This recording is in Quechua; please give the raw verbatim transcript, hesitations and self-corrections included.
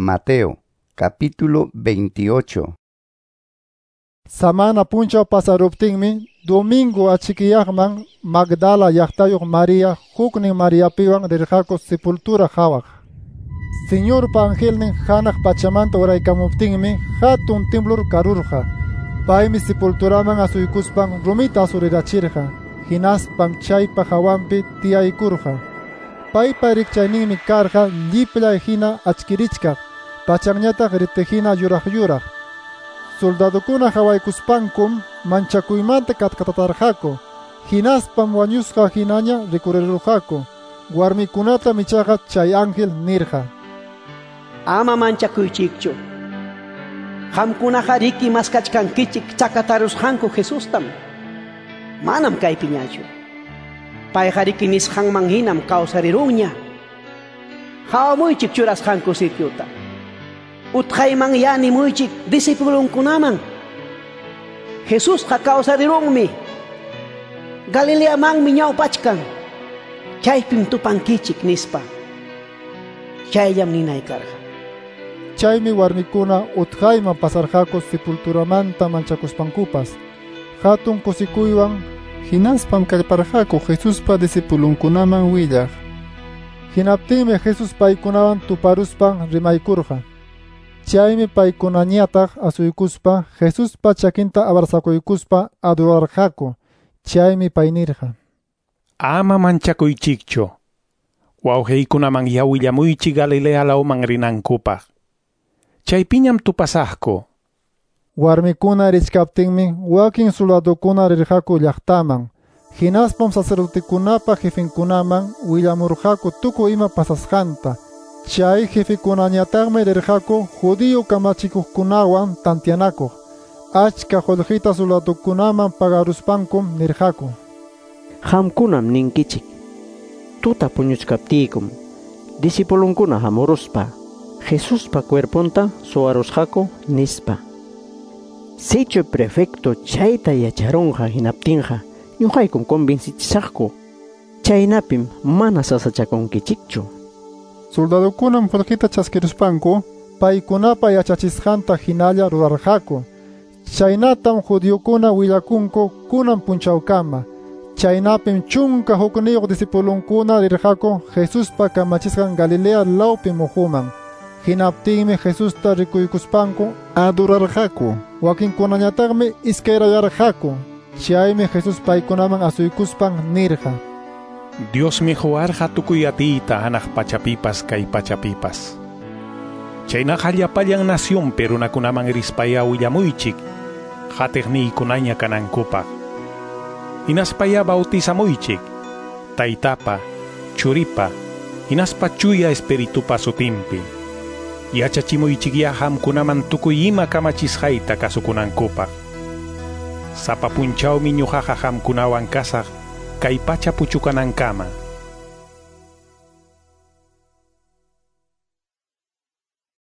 Mateo, capítulo veintiocho. Samana punchaw pasaruptinmi, domingo achikyaqman Magdala llaqtayuq Maria huknin Mariapiwan rirqaku sepultura qhawaq. Señorpa angelnin hanaq pachamanta uraykamuptinmi hatun temblor karurqa. Paymi sepulturaman asuykuspan rumita asurirachirqa, hinaspam chaypa hawanpi tiyaykurqa. Paypa rikchayninmi karqa llipllay hina achkirichkaq, pachanñataq ritihina yuraq yuraq. Soldadukuna hawaykuspankum manchakuymanta katkatatarqaku, hinaspam wañusqa hinaña rikurirurqaku. Warmikunatam ichaqa chay ángel nirqa: Ama manchakuychikchu. Qamkunaqa riki maskachkankichik chakatarusqanku Jesustam. Manam kaypiñachu. Payqa riki nisqanman hinam kawsarirunña. Qhawamuychik churasqanku sitiuta. Utqayman yanimuychik discipulunkunaman. Jesusqa kawsarirunmi. Galileamanmi ñawpachkan. Chaypim tupankichik nispa. Chayllam ninay karqa. Chaymi warmikuna utqayman pasarqaku sepulturamanta manchakuspankupas. Hatun kusikuywan hinaspam kallparqaku Jesuspa discipulunkunaman willaq. Hinaptinmi Jesús paykunawan tuparuspan rimaykurqa. Chaymi paykunañataq asuykuspa Jesuspa chakinta abrazakuykuspa adorarqaku. Chaymi pay nirqa: Ama manchakuychikchu. Wawqiykunaman ya willamuychik Galilea lawman rinankupaq. Chaypiñam tupasaqku. Warmikuna richkaptinmi wakin soldadukuna rirqaku llaqtaman. Hinaspam sacerdotekunapa jefenkunaman willamurqaku tukuy ima pasasqanta. Chay jefekunañataqmi rirqaku judío kamachikuqkunawan tantianakuq. Achka qullqita soldadukunaman pagaruspankum nirqaku: Qamkunam ninkichik. Tuta puñuchkaptiykum discipulunkuna hamuruspa Jesuspa cuerponta suwarusqaku nispa. Sichu prefecto chayta yacharunqa hinaptinqa ñuqaykum convencichisaqku. Chaynapim mana sasachakunkichikchu. Soldadukunam qullqita chaskiruspanku paykunapa yachachisqanta hinalla rurarqaku. Chaynatam judiokuna willakunku kunan punchawkama. Chaynapim chunka hukniyuq discipulunkuna rirqaku Jesuspa kamachisqan Galilea lawpi muhuman. Hinaptinmi Jesusta rikuykuspanku adorarqaku. Wakinkunañataqmi iskayrayarqaku. Chaymi Jesús paykunaman asuykuspan nirqa: Diosmi quwarqa tukuy atiyta hanaq pachapipas kay pachapipas. Chaynaqa llapallan nacionpi runakunaman rispaya willamuychik qatiqniykunaña kanankupaq. Hinaspaya bautizamuychik Taytapa, Churipa, hinaspa Chuya Espiritupa sutinpi. Yachachimuychikya qamkunaman tukuy ima kamachisqayta kasukunankupaq. Sapa punchawmi ñuqaqa qamkunawan kasaq kay pacha puchukanankama.